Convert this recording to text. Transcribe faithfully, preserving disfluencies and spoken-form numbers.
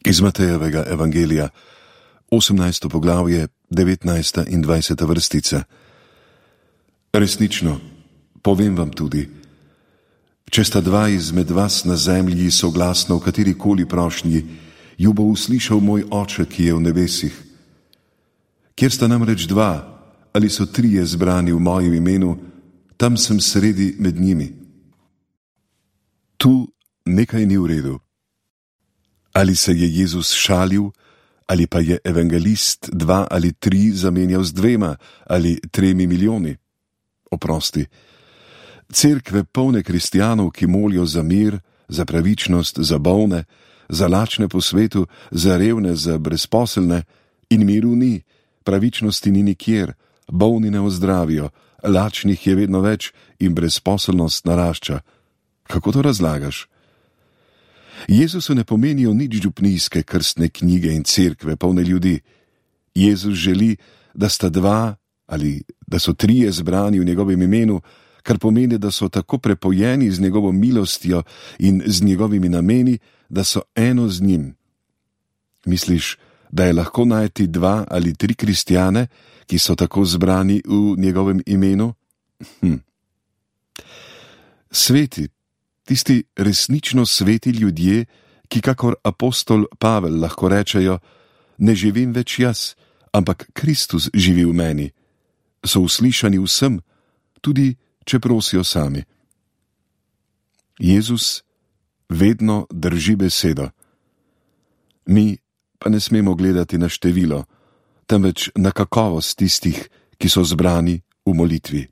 Iz Matejevega evangelija, osemnajsto poglavje, devetnajsta in dvajseta vrstica. Resnično, povem vam tudi, če sta dva izmed vas na zemlji soglasno v katerikoli prošnji, ju bo uslišal moj Oče, ki je v nebesih. Kjer sta namreč dva ali so trije zbrani v mojem imenu, tam sem sredi med njimi. Tu nekaj ni v redu. Ali se je Jezus šalil, ali pa je evangelist dva ali tri zamenjal z dvema ali tremi milijoni? Oprosti. Cerkve polne kristjanov, ki molijo za mir, za pravičnost, za bolne, za lačne po svetu, za revne, za brezposelne, in miru ni, pravičnosti ni nikjer, bolni ne ozdravijo, lačnih je vedno več in brezposelnost narašča. Kako to razlagaš? Jezusu ne pomenijo nič župnijske krstne knjige in cerkve polne ljudi. Jezus želi, da sta dva ali da so trije zbrani v njegovem imenu, kar pomeni, da so tako prepojeni z njegovo milostjo in z njegovimi nameni, da so eno z njim. Misliš, da je lahko najti dva ali tri kristjane, ki so tako zbrani v njegovem imenu? Hm. Sveti, tisti resnično sveti ljudje, ki kakor apostol Pavel lahko rečejo, ne živim več jaz, ampak Kristus živi v meni, so uslišani vsem, tudi če prosijo sami. Jezus vedno drži besedo. Mi pa ne smemo gledati na število, temveč na kakovost tistih, ki so zbrani v molitvi.